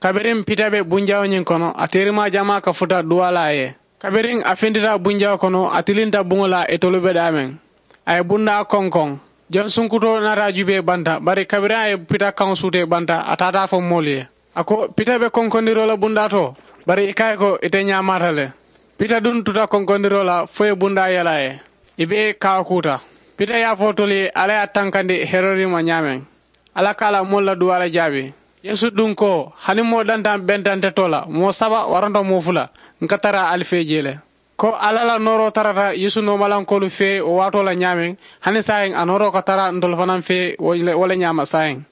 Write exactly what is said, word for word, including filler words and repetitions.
Kabiriŋ pita be bunjaawo ñiŋ kono, a teerimaa jamaa ka futa duwaa la a ye. Kabiriŋ a fintita bunjaawo kono, a tilinta buŋo la itolu be daameŋ. A ye bundaa konkoŋ. Jansuŋ kutoo naata a juubee banta, bari kabiriŋ a ye pita kaŋo suutee banta, a taata a fo moolu ye. A ko, pita be konkondiroo la bundaa to, bari i ka a ye ko ite ñaamaata le. Pita duŋ tuta konkondiroo la fo ye bundaa yelaa ye. I bee kaakuuta. Pita ye a fo tolu ye alla ye a tankandi herodi ma ñaameŋ. Alla ka a la moolu la duwaa le jaabi. Yeesu duŋ ko, hani moo dantaŋ benta nte too la, moo saba waranta moo fula, n ka tara ali fee jee le. Ko alla la nooroo tarata yeesu noomalankoolu fee wo waatoo la ñaameŋ, hani saayiŋ a nooroo ka tara ntolu fanaŋ fee wo le ñaama saayiŋ.